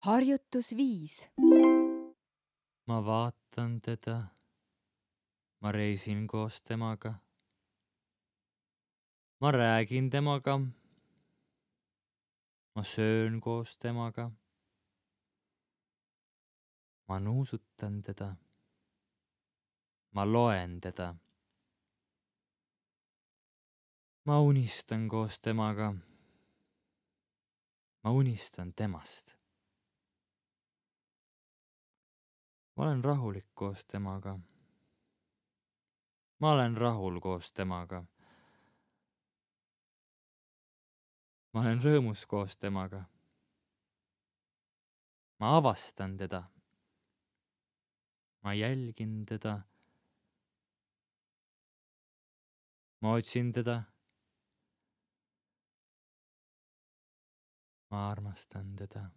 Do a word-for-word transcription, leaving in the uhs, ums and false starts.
Harjutus viis. Ma vaatan teda. Ma reisin koos temaga. Ma räägin temaga. Ma söön koos temaga. Ma nuusutan teda. Ma loen teda. Ma unistan koos temaga. Ma unistan temast. Ma olen rahulik koos temaga. Ma olen rahul koos temaga. Ma olen rõõmus koos temaga. Ma avastan teda. Ma jälgin teda. Ma otsin teda. Ma armastan teda.